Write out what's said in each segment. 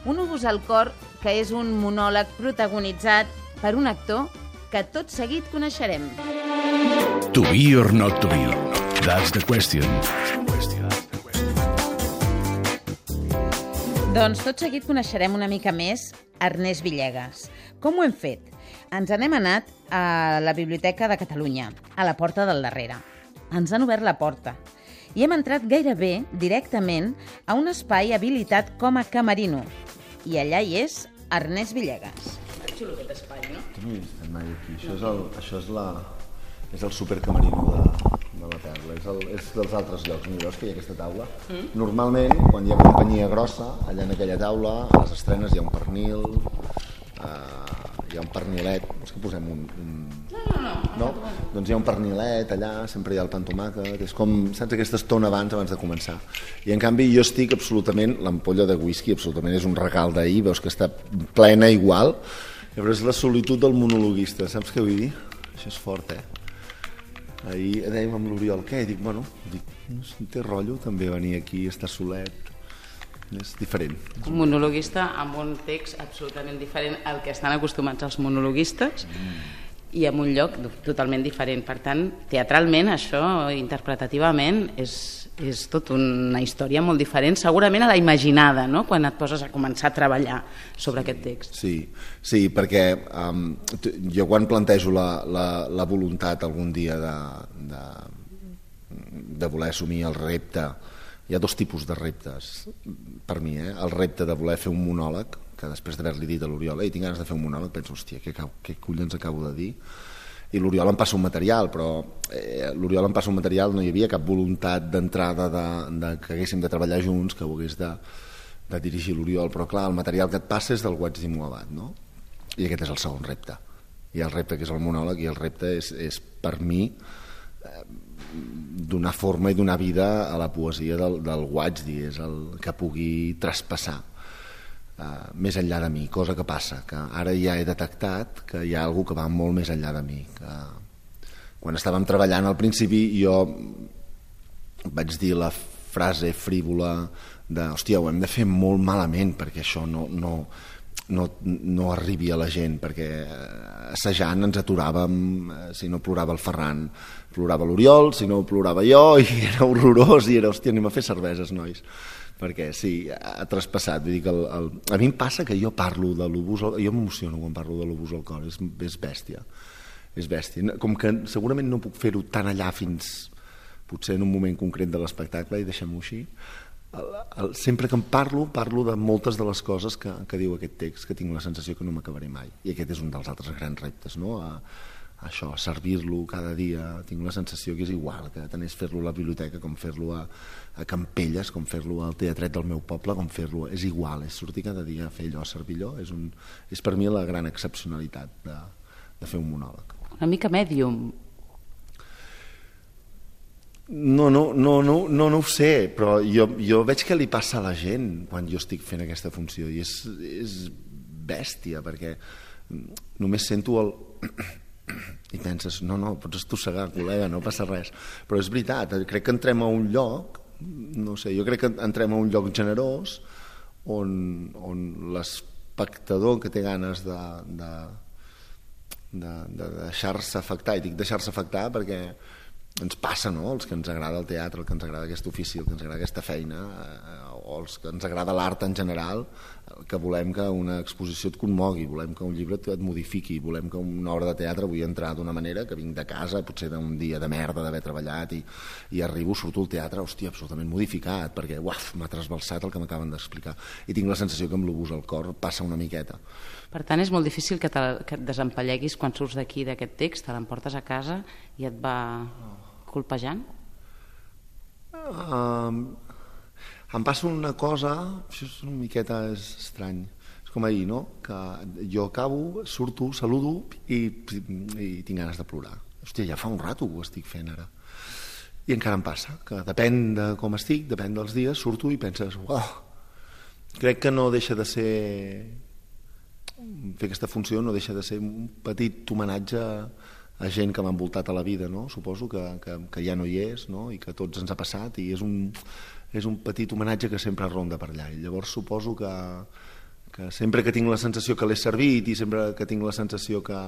Un obús al cor que és un monòleg protagonitzat per un actor que tot seguit coneixerem. To be or not to be, that's the question. Doncs tot seguit coneixerem una mica més Ernest Villegas. Com ho hem fet? Ens n'hem anat a la Biblioteca de Catalunya, a la porta del darrere. Ens han obert la porta i hem entrat gairebé directament a un espai habilitat com a camerino. I allà hi és Ernest Villegas. Xulo aquest espai, no? No hi he estat mai aquí. Això és el supercamerino de la Perla. És dels altres llocs. Mira, veus que hi ha aquesta taula? Normalment, quan hi ha companyia grossa, allà en aquella taula, a les estrenes hi ha un pernil, hi ha un pernilet. És que posem un... No? Doncs hi ha un pernilet allà, sempre hi ha el pa amb tomàquet. És com, saps, aquesta estona abans de començar. I en canvi jo estic absolutament... L'ampolla de whisky absolutament és un regal d'ahir, veus que està plena igual, però és la solitud del monologuista, saps què vull dir? Això és fort, Ahir dèiem amb l'Oriol, què? Dic, no té rotllo també venir aquí, estar solet, és diferent. Un monologuista amb un text absolutament diferent al que estan acostumats els monologuistes i en un lloc totalment diferent. Per tant, teatralment, això, interpretativament, és tot una història molt diferent, segurament a la imaginada, no?, quan et poses a començar a treballar sobre aquest text. Sí, perquè jo quan plantejo la voluntat algun dia de voler assumir el repte, hi ha dos tipus de reptes per mi, el repte de voler fer un monòleg, que després d'haver-li dit a l'Oriol, tinc ganes de fer un monòleg, penso, hòstia, què collons acabo de dir? I l'Oriol em passa un material, però l'Oriol em passa un material, no hi havia cap voluntat d'entrada que haguéssim de treballar junts, que ho hagués de dirigir l'Oriol, però clar, el material que et passa és del Guaig d'Imoabat, no? I aquest és el segon repte. Hi ha el repte que és el monòleg i el repte és per mi donar forma i donar vida a la poesia del Guaig, és el que pugui traspassar més enllà de mi, cosa que passa, que ara ja he detectat que hi ha algú que va molt més enllà de mi, que quan estàvem treballant al principi jo vaig dir la frase frívola de, hòstia, ho hem de fer molt malament perquè això no arribi a la gent, perquè assajant ens aturàvem, si no plorava el Ferran plorava l'Oriol, si no plorava jo, i era horrorós, i era, hòstia, anem a fer cerveses, nois, perquè sí, ha traspassat. Vull dir que a mi em passa que jo parlo de l'obús, jo m'emociono quan parlo de l'obús al cor, és bèstia, com que segurament no puc fer-ho tan allà fins potser en un moment concret de l'espectacle, i deixem-ho així. Sempre que em parlo de moltes de les coses que diu aquest text, que tinc la sensació que no m'acabaré mai, i aquest és un dels altres grans reptes, no? Això, servir-lo cada dia, tinc la sensació que és igual, que tant és fer-lo a la biblioteca com fer-lo a Campelles, com fer-lo al teatret del meu poble, com fer-lo... És igual, és sortir cada dia a fer allò, a servir allò, és per mi la gran excepcionalitat de fer un monòleg. Una mica mèdium. No ho sé, però jo veig que li passa a la gent quan jo estic fent aquesta funció, i és bèstia, perquè només sento el... i penses, no, pots estossegar, col·lega, no passa res, però és veritat, crec que entrem a un lloc, no sé, jo crec que entrem a un lloc generós on l'espectador que té ganes de deixar-se afectar, i dic deixar-se afectar perquè ens passa, no?, els que ens agrada el teatre, el que ens agrada aquest ofici, el que ens agrada aquesta feina, o els que ens agrada l'art en general, que volem que una exposició et conmogui, volem que un llibre et modifiqui, volem que una obra de teatre vull entrar d'una manera, que vinc de casa, potser d'un dia de merda d'haver treballat, i arribo, surto al teatre, hòstia, absolutament modificat, perquè m'ha trasbalsat el que m'acaben d'explicar, i tinc la sensació que amb l'obús al cor passa una miqueta. Per tant, és molt difícil que et desempalleguis quan surts d'aquí d'aquest text, te l'emportes a casa i et va colpejant? Em passa una cosa, això és una miqueta estrany, és com ahir, no?, que jo acabo, surto, saludo i tinc ganes de plorar. Hòstia, ja fa un rato ho estic fent ara. I encara em passa, que depèn de com estic, depèn dels dies, surto i penses, crec que no deixa de ser... fer aquesta funció no deixa de ser un petit homenatge a gent que m'ha envoltat a la vida, no? Suposo que ja no hi és, no? I que a tots ens ha passat, i és un petit homenatge que sempre ronda per allà, i llavors suposo que sempre que tinc la sensació que l'he servit i sempre que tinc la sensació que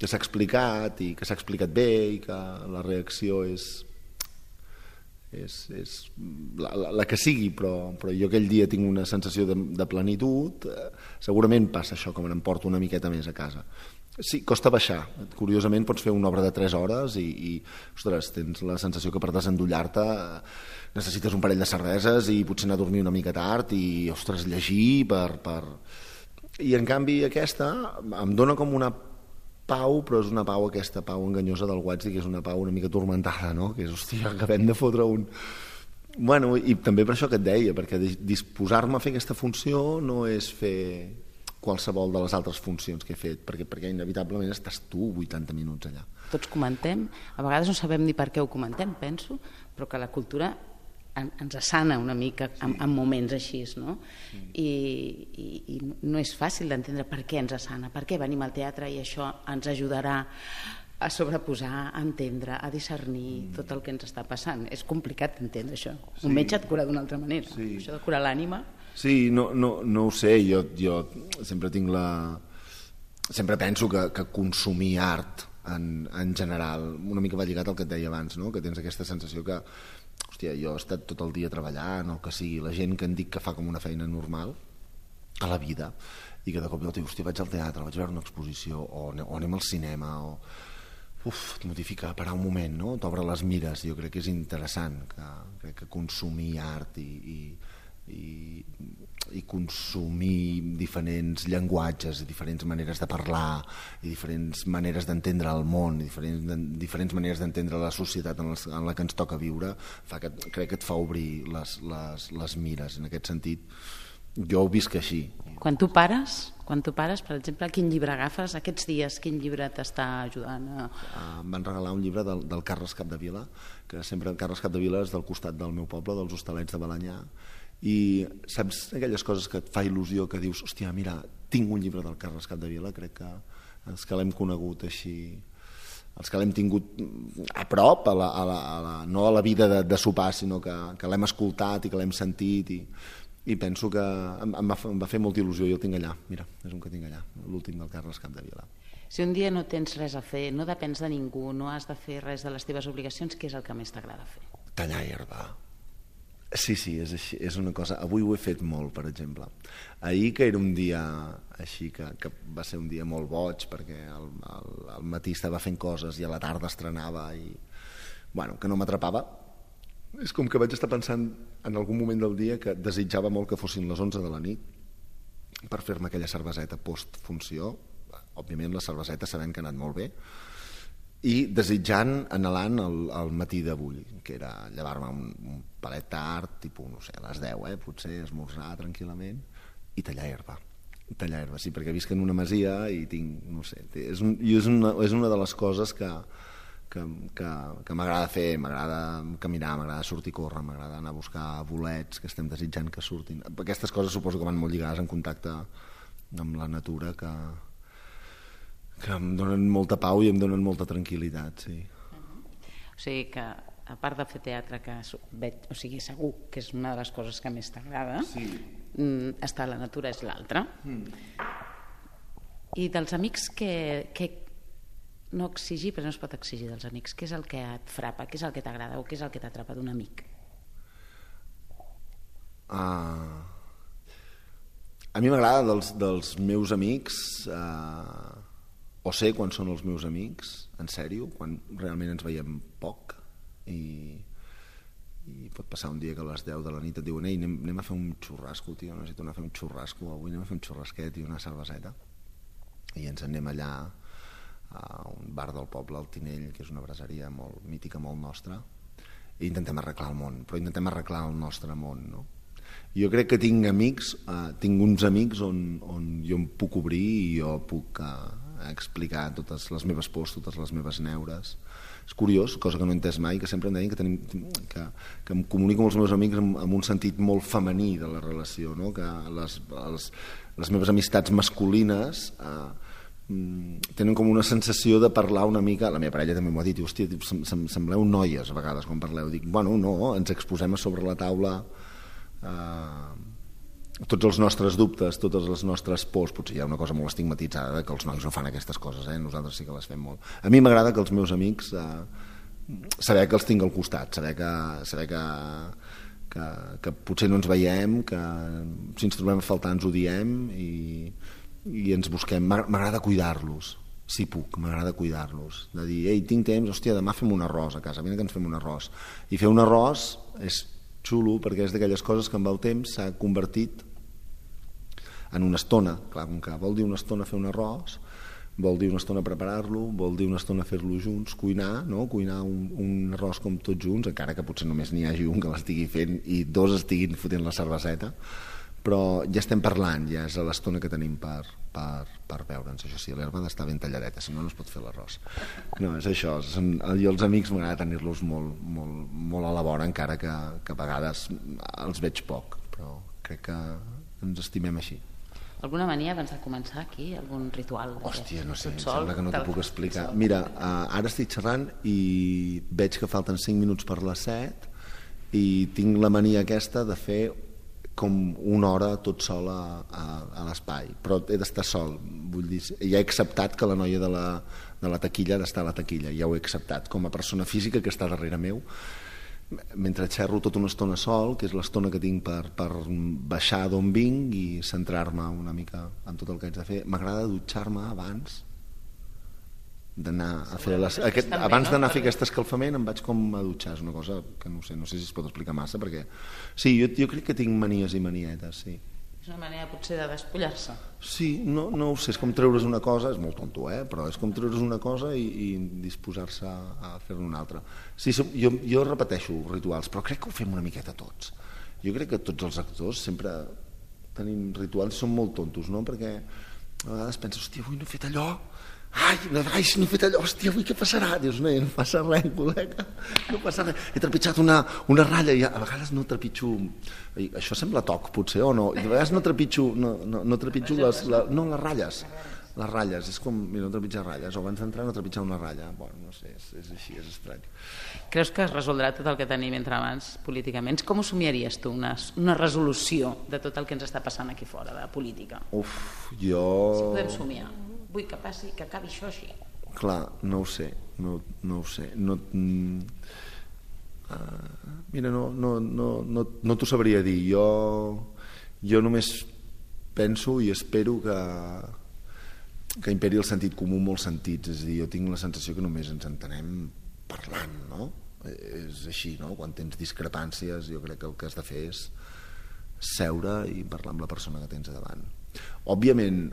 s'ha explicat i que s'ha explicat bé i que la reacció és la que sigui, però jo aquell dia tinc una sensació de plenitud, segurament passa això, que me n'emporto una miqueta més a casa. Sí, costa baixar. Curiosament pots fer una obra de 3 hores i ostres, tens la sensació que per desendollar-te necessites un parell de cerveses i potser anar a dormir una mica tard i, ostres, llegir I en canvi aquesta em dona com una pau, però és una pau, aquesta pau enganyosa del Guatsy, que és una pau una mica tormentada, no? Que és, hòstia, acabem de fotre un... Bueno, i també per això que et deia, perquè disposar-me a fer aquesta funció no és fer qualsevol de les altres funcions que he fet, perquè inevitablement estàs tu 80 minuts allà. Tots comentem, a vegades no sabem ni per què ho comentem, penso, però que la cultura ens assana una mica en moments així, no? I no és fàcil d'entendre per què ens assana, per què venim al teatre i això ens ajudarà a sobreposar, a entendre, a discernir tot el que ens està passant. És complicat d'entendre això. Un metge et cura d'una altra manera. Això de curar l'ànima... Sí, no ho sé, jo sempre tinc sempre penso que consumir art en general, una mica va lligat al que et deia abans, no? Que tens aquesta sensació que, hòstia, jo he estat tot el dia treballant o que sigui, la gent que en dic que fa com una feina normal a la vida i que de cop i volta diu, hòstia, vaig al teatre, vaig a veure una exposició o anem al cinema o... et modifica, parar un moment, no? T'obre les mires. Jo crec que és interessant que consumir art i consumir diferents llenguatges i diferents maneres de parlar i diferents maneres d'entendre el món i diferents maneres d'entendre la societat en la que ens toca viure crec que et fa obrir les mires. En aquest sentit jo ho visc així. Quan tu pares, per exemple, quin llibre agafes aquests dies? Quin llibre t'està ajudant? Em van regalar un llibre del Carles Capdevila, que sempre el Carles Capdevila és del costat del meu poble, dels Hostalets de Balenyà, i saps aquelles coses que et fa il·lusió, que dius, hòstia, mira, tinc un llibre del Carles Capdevila. Crec que els que l'hem conegut així, els que l'hem tingut a prop, no a la vida de sopar, sinó que l'hem escoltat i que l'hem sentit, i penso que em va fer molta il·lusió. Jo el tinc allà, mira, és un que tinc allà, l'últim del Carles Capdevila. Si un dia no tens res a fer, no depens de ningú, no has de fer res de les teves obligacions, què és el que més t'agrada fer? Tallar herba. Sí, és així, és una cosa... Avui ho he fet molt, per exemple. Ahir, que era un dia així, que va ser un dia molt boig, perquè al matí estava fent coses i a la tarda estrenava i... Bueno, que no m'atrapava. És com que vaig estar pensant en algun moment del dia que desitjava molt que fossin les 11 de la nit per fer-me aquella cerveseta post-funció. Òbviament, la cerveseta sabem que ha anat molt bé. I desitjant, anhelant el matí d'avui, que era llevar-me un palet tard, tipus, no sé, a les 10, potser esmorzar tranquil·lament, i tallar herba. Tallar herba, sí, perquè visc en una masia i tinc, no sé, és una de les coses que m'agrada fer, m'agrada caminar, m'agrada sortir a córrer, m'agrada anar a buscar bolets que estem desitjant que surtin. Aquestes coses suposo que van molt lligades en contacte amb la natura, que em donen molta pau i em donen molta tranquil·litat, sí. O sigui que, a part de fer teatre, que veig, o sigui, segur que és una de les coses que més t'agrada, sí. Estar a la natura és l'altra. I dels amics que no exigir, però no es pot exigir dels amics, què és el que et frapa, què és el que t'agrada o què és el que t'atrapa d'un amic? A mi m'agrada dels meus amics... o sé quan són els meus amics, en sèrio, quan realment ens veiem poc i pot passar un dia que a les 10 de la nit et diuen ei, anem a fer un xurrasco, tio, necessito anar a fer un xurrasco avui, anem a fer un xurrasquet i una cerveseta, i ens anem allà a un bar del poble, al Tinell, que és una braseria molt mítica, molt nostra, i intentem arreglar el món, però intentem arreglar el nostre món, no? Jo crec que tinc amics, tinc uns amics on jo em puc obrir i jo puc explicar totes les meves pors, totes les meves neures. És curiós, cosa que no he entès mai, que sempre em deien que em comunico amb els meus amics amb un sentit molt femení de la relació, no? Que les meves amistats masculines tenen com una sensació de parlar una mica, la meva parella també m'ho ha dit, hòstia, sembleu noies a vegades quan parleu. Dic, bueno, no, ens exposem a sobre la taula tots els nostres dubtes, totes les nostres pors, potser hi ha una cosa molt estigmatitzada que els nois no fan aquestes coses, nosaltres sí que les fem molt. A mi m'agrada que els meus amics saber que els tinc al costat, saber que potser no ens veiem, que si ens trobem a faltar ens ho diem i ens busquem. M'agrada cuidar-los, si puc, m'agrada cuidar-los, de dir, ei, tinc temps, hòstia, demà fem un arròs a casa, vine que ens fem un arròs. I fer un arròs és xulo perquè és d'aquelles coses que amb el temps s'ha convertit en una estona. Clar, com que vol dir una estona fer un arròs, vol dir una estona preparar-lo, vol dir una estona fer-lo junts, cuinar, no? Cuinar un arròs com tots junts, encara que potser només n'hi hagi un que l'estigui fent i dos estiguin fotent la cerveseta, però ja estem parlant, ja és l'estona que tenim per veure'ns. Això sí, l'herba ha d'estar ben talladeta, si no es pot fer l'arròs. No, és això, jo els amics m'agrada tenir-los molt a la vora, encara que a vegades els veig poc, però crec que ens estimem així. Alguna mania abans de començar aquí? Algun ritual? Hòstia, no sé, em sembla que no t'ho puc explicar. Mira, ara estic xerrant i veig que falten 5 minuts per les 7 i tinc la mania aquesta de fer com una hora tot sol a l'espai, però he d'estar sol, vull dir, ja he acceptat que la noia de la taquilla ha d'estar a la taquilla, ja ho he acceptat com a persona física que està darrere meu, mentre xerro tota una estona sol, que és l'estona que tinc per baixar d'on vinc i centrar-me una mica en tot el que haig de fer. M'agrada dutxar-me abans d'anar a fer abans d'anar a fer aquest escalfament em vaig com a dutxar, és una cosa que no sé si es pot explicar massa, perquè sí, jo crec que tinc manies i manietes, sí. És una manera potser de despullar-se. Sí, no ho sé, és com treure's una cosa, és molt tonto, però és com treure's una cosa i disposar-se a fer-ne una altra. Sí, jo repeteixo rituals, però crec que ho fem una miqueta tots. Jo crec que tots els actors sempre tenim rituals i són molt tontos, no? Perquè a vegades penses, hòstia, avui no he fet allò, si no he fet allò, hòstia, avui què passarà? Dius, no passa res, col·lega, no passa res. He trepitjat una ratlla i a vegades no trepitjo, això sembla toc potser o no, i a vegades no trepitjo les ratlles, és com, mira, no trepitjar ratlles, o abans d'entrar no trepitjar una ratlla, bueno, no sé, és així, és estrany. Creus que es resoldrà tot el que tenim entre mans políticament? Com ho somiaries tu, una resolució de tot el que ens està passant aquí fora, de política? Si podem somiar. Vull que passi, que acabi això així. Clar, no ho sé. Mira, no t'ho sabria dir. Jo només penso i espero que imperi el sentit comú en molts sentits. És a dir, jo tinc la sensació que només ens entenem parlant, no? És així, no? Quan tens discrepàncies, jo crec que el que has de fer és seure i parlar amb la persona que tens davant. Òbviament,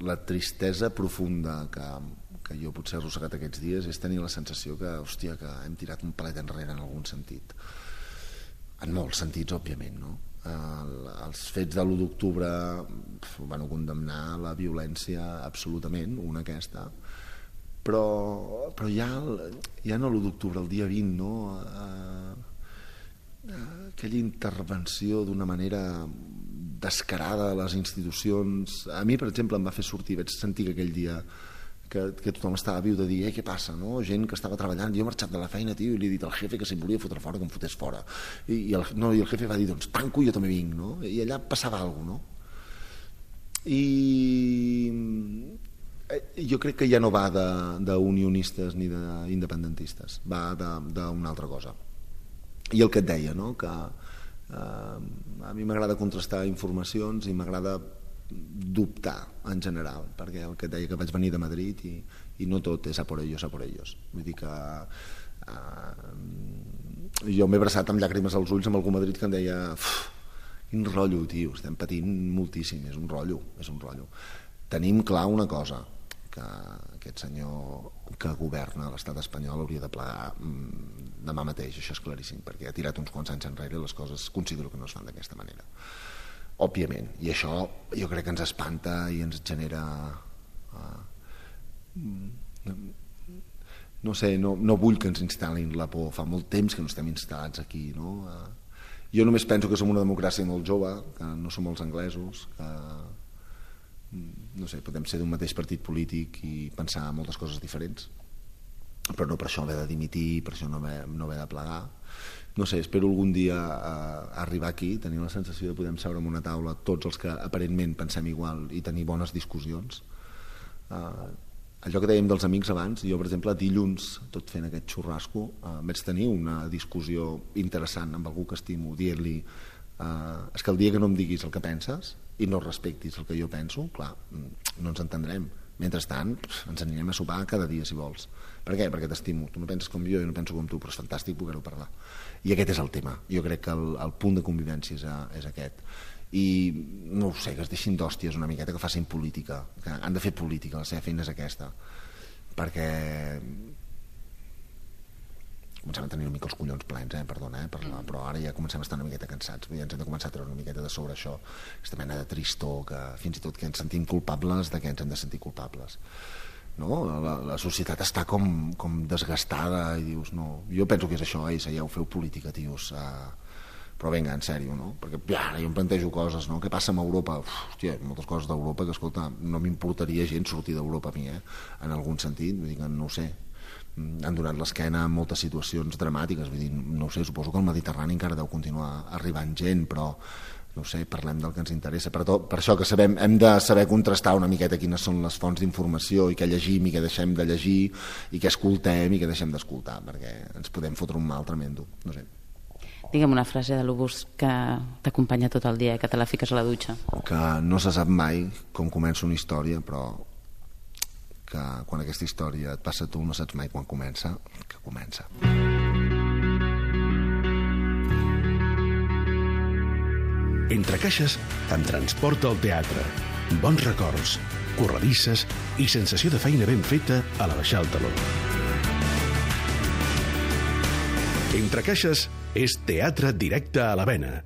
la tristesa profunda que jo potser he arrossegat aquests dies és tenir la sensació que, hòstia, que hem tirat un palet enrere en algun sentit. En molts sentits, òbviament, no? Els fets de l'1 d'octubre van condemnar la violència absolutament, una aquesta, però ja no l'1 d'octubre, el dia 20, no? Aquella intervenció d'una manera descarada a les institucions. A mi, per exemple, em va fer sortir, vaig sentir que aquell dia que tothom estava viu de dir, què passa, no? Gent que estava treballant, jo he marxat de la feina, tio, i li he dit al jefe que si em volia fotre fora, que em fotés fora, i el jefe va dir, doncs tanco i jo també vinc, no? I allà passava alguna cosa, no? I jo crec que ja no va d'unionistes ni d'independentistes, va d'una altra cosa. I el que et deia, no? Que a mi m'agrada contrastar informacions i m'agrada dubtar en general, perquè el que et deia que vaig venir de Madrid i no tot és a por ellos. Vull dir que jo m'he abraçat amb llàgrimes als ulls amb algú a Madrid que em deia, quin rotllo, tio, estem patint moltíssim, és un rotllo. Tenim clar una cosa, que aquest senyor que governa l'estat espanyol hauria de plegar demà mateix, això és claríssim, perquè ha tirat uns quants anys enrere i les coses considero que no es fan d'aquesta manera, òbviament, i això jo crec que ens espanta i ens genera no sé, no vull que ens instal·lin la por, fa molt temps que no estem instal·lats aquí, no? Jo només penso que som una democràcia molt jove, que no som els anglesos, que no sé, podem ser d'un mateix partit polític i pensar moltes coses diferents, però no per això haver de dimitir, per això no haver de plegar. No sé, espero algun dia arribar aquí, tenir la sensació de poder seure en una taula tots els que aparentment pensem igual i tenir bones discussions. Allò que dèiem dels amics abans, jo per exemple dilluns, tot fent aquest xurrasco, vaig tenir una discussió interessant amb algú que estimo, dient-li és que el dia que no em diguis el que penses i no respectis el que jo penso, clar, no ens entendrem. Mentrestant, ens anirem a sopar cada dia, si vols. Per què? Perquè t'estimo. Tu no penses com jo no penso com tu, però és fantàstic poder-ho parlar. I aquest és el tema. Jo crec que el punt de convivència és aquest. I no ho sé, que es deixin d'hòsties una miqueta, que facin política, que han de fer política, la seva feina és aquesta. Perquè comencem a tenir una mica els collons plens, perdona, però ara ja comencem a estar una miqueta cansats, ja ens hem de començar a treure una miqueta de sobre això, aquesta mena de tristor, que fins i tot que ens sentim culpables de què ens hem de sentir culpables. No? La societat està com desgastada i dius, no, jo penso que és això, seieu, feu política, tios, però vinga, en sèrio, no? Perquè ara jo em plantejo coses, no? Què passa amb Europa? Hòstia, moltes coses d'Europa que, escolta, no m'importaria gens sortir d'Europa a mi, en algun sentit, vull dir que no ho sé, han donat l'esquena en moltes situacions dramàtiques, vull dir, no ho sé, suposo que el Mediterrani encara deu continuar arribant gent, però no ho sé, parlem del que ens interessa. Per això que hem de saber contrastar una miqueta quines són les fonts d'informació i què llegim i què deixem de llegir i què escoltem i què deixem d'escoltar, perquè ens podem fotre un mal tremendo, no sé. Digue'm una frase de l'Obús que t'acompanya tot el dia, que te la fiques a la dutxa. Que no se sap mai com comença una història, però que quan aquesta història et passa a tu no saps mai quan comença, que comença. Entre caixes em transporta al teatre. Bons records, corredisses i sensació de feina ben feta a la baixar el taló. Entre caixes és teatre directe a la vena.